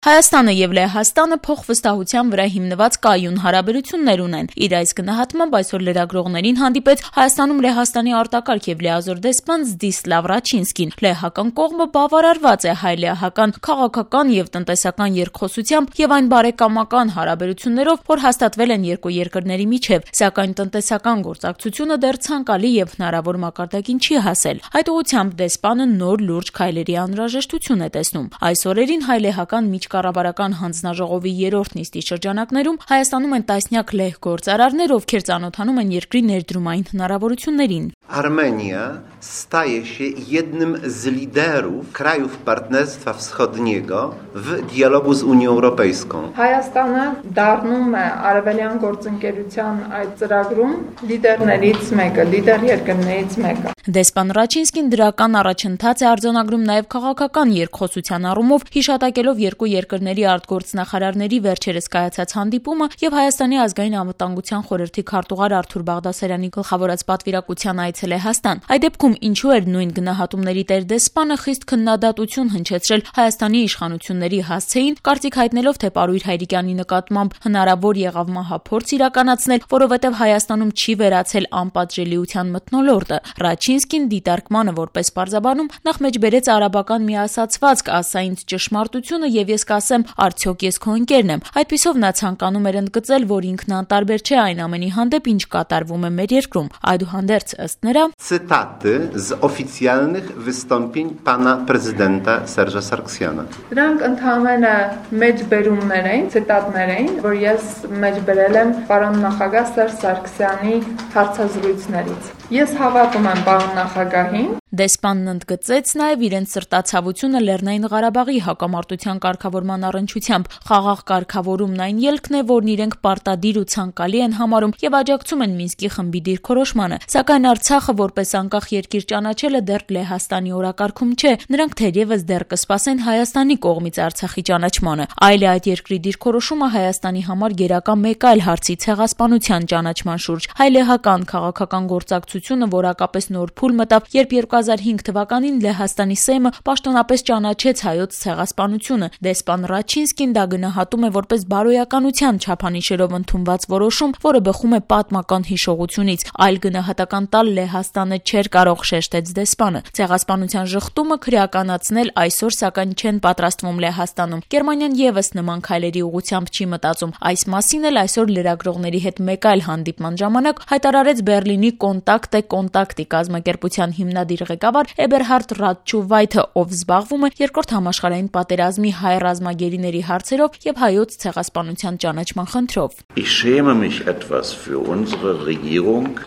Հայաստանը եւ Լեհաստանը փոխվստահության վրա հիմնված կայուն հարաբերություններ ունեն։ Իր այս գնահատմամբ այսօր լրագրողներին հանդիպեց Հայաստանում Լեհաստանի արտակարգ եւ լիազոր դեսպան Զդիսլավ Ռաչինսկին։ Լեհական կողմը բավարարված է հայ-լեհական քաղաքական եւ տնտեսական երկխոսությամբ եւ այն բարեկամական հարաբերություններով, որ հաստատվել են երկու երկրների միջեւ, սակայն տնտեսական գործակցությունը դեռ ցանկալի եւ հնարավոր մակարդակին չի հասել։ Այդ ուղղությամբ դեսպանը նոր լուրջ քայլերի անհրաժեշտություն է տեսնում։ Այս օրերին հայ-լեհական Կառավարական հանձնաժողովի երրորդ նիստի շրջանակներում Հայաստանում են տասնյակ լեհ գործարարներ, ովքեր ծանոթանում են երկրի ներդրումային հնարավորություններին։ Armenia staje się jednym z liderów krajów Partnerstwa Wschodniego w dialogu z Unią Europejską. Հայաստանը դառնում է արևելյան գործընկերության այդ ծրագրում լիդերներից մեկը, լիդեր երկրներից մեկը։ Դեսպան Ռաչինսկին դրական առաջընթաց է արձանագրում նաև քաղաքական երկխոսության առումով, հիշատակելով երկու երկրների արտգործնախարարների վերջերս կայացած հանդիպումը եւ Հայաստանի ազգային անվտանգության խորհրդի քարտուղար Արթուր Բաղդասարյանի գլխավորած պատվիրակության այցը Լեհաստան։ Այդ դեպքում ինչու էր նույն գնահատումների տեր դեսպանը խիստ քննադատություն հնչեցրել Հայաստանի իշխանությունների հասցեին, կարծիք հայտնելով, թե Պարույր Հայրիկյանի նկատմամբ հնարավոր եղավ մահափորձ իրականացնել, որովհետեւ Հայաստանում չի վերացել անպատժելիության մթնոլորտը։ Ռաչինսկին դիտարկմանը որպես պարզաբանում նախ մեջ բերեց արաբական մի ասացվածք, ասա ինձ ճշմարտությունը եւ ես կասեմ, արդյոք ես քո ընկերն եմ։ Այդպիսով նա ցանկանում էր ընդգծել, որ ինքն անտարբեր չէ այն ամենի հանդեպ, ինչ կատարվում է մեր երկրում։ Այդուհանդերձ ըստ նրա Cytaty z oficjalnych wystąpień pana prezydenta Serge'a Sargsjana. Դրանք ընդհանրապես մեջբերումներ են, ցիտատներ են, որ ես մեջբերել եմ պարոն նախագահ Սերժ Սարգսյանի հարցազրույցներից։ Ես հավատում եմ պարոն նախագահին։ Դեսպանն ընդգծեց նաև իրենց սրտացավությունը Լեռնային Ղարաբաղի հակամարտության կարգավորման առնչությամբ։ Խաղաղ կարգավորումն այն ելքն է, որն իրենք պարտադիր ու ցանկալի են համարում եւ աջակցում են Մինսկի խմբի դիրքորոշմանը։ Սակայն Արցախը որպես անկախ երկիր ճանաչելը դեռ Լեհաստանի օրակարգում չէ։ Նրանք թերևս դեռ կսպասեն Հայաստանի կողմից Արցախի ճանաչմանը։ Այլ այդ երկրի դիրքորոշումը Հայաստանի համար գերակա մեկ այլ հարցի ցեղասպանության ճանաչման շուրջ։ Հայ-լեհական քաղաքական գործակցությունը որակապես նոր փուլ մտավ, երբ 2005 թվականին Լեհաստանի Սեյմը պաշտոնապես ճանաչեց հայոց ցեղասպանությունը։ Դեսպան Ռաչինսկին դա գնահատում է որպես բարոյականության չափանիշերով ընդունված որոշում, որը բխում է պատմական հիշողությունից։ Այլ գնահատական տալ Լեհաստանը չէր կարող, շեշտեց դեսպանը։ Ցեղասպանության ժխտումը քրեականացնել այսօր սակայն չեն պատրաստվում Լեհաստանում։ Գերմանիան եւս նման քայլերի ուղղությամբ չի մտածում։ Այս մասին էլ այսօր լրագրողների հետ մեկ այլ հանդիպման ժամանակ հայտարարեց Բեռլինի Կոնտակտի կազմակերպության հիմնադիր ղեկավար Էբերհարդ Ռատչուվայթը, ով զբաղվում է երկրորդ համաշխարհային պատերազմի հայ ռազմագերիների հարցերով եւ հայոց ցեղասպանության ճանաչման խնդրով։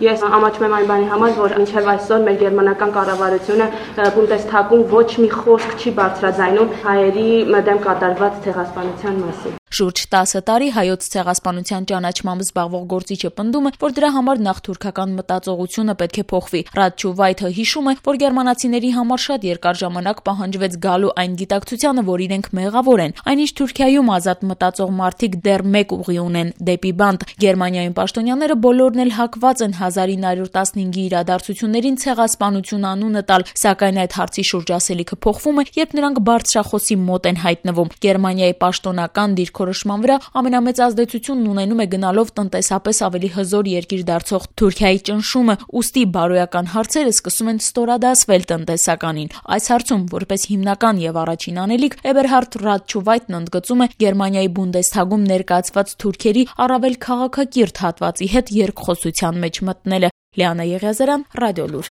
Ես ամաչում եմ այն բանի համար, որ մինչև այսօր մեր գերմանական կառավարությունը Բունդեսթագում ոչ մի խոսք չի բարձրաձայնում հայերի դեմ կատարված ցեղասպանության մասին։ Շուրջ 10 տարի հայոց ցեղասպանության ճանաչմամբ զբաղվող գործիչը պնդում է, որ դրա համար նախ թուրքական մտածողությունը պետք է փոխվի։ Ռատչուվայթը հիշում է, որ գերմանացիների համար շատ երկար ժամանակ պահանջվեց գալու այն գիտակցությանը, որ իրենք մեղավոր են։ Այնինչ Թուրքիայում ազատ մտածող մարդիկ դեռ մեկ ուղի ունեն՝ դեպի բանտ։ Գերմանիայում պաշտոնյաները բոլորն էլ հակված են 1915-ի իրադարձություններին ցեղասպանություն անունը տալ, սակայն այդ հարցի շուրջ ասելիքը փոխվում է, երբ նրանք բարձրախոսի մոտ են հայտնվում։ Գերմանիայի պաշտոնական դիրքորոշման վրա ամենամեծ ազդեցությունն ունենում է գնալով տնտեսապես ավելի հզոր երկիր դարձող Թուրքիայի ճնշումը, ուստի բարոյական հարցերը սկսում են ստորադասվել տնտեսականին։ Այս հարցում որպես հիմնական եւ առաջին անելիք Էբերհարդ Ռատչուվայթն ընդգծում է Գերմանիայի Բունդեսթագում ներկայացված թուրքերի առավել քաղաքակիրթ հատվածի հետ երկխոսության մեջ մտնելը։ Լիանա Եղիազարյան, Ռադիոլուր։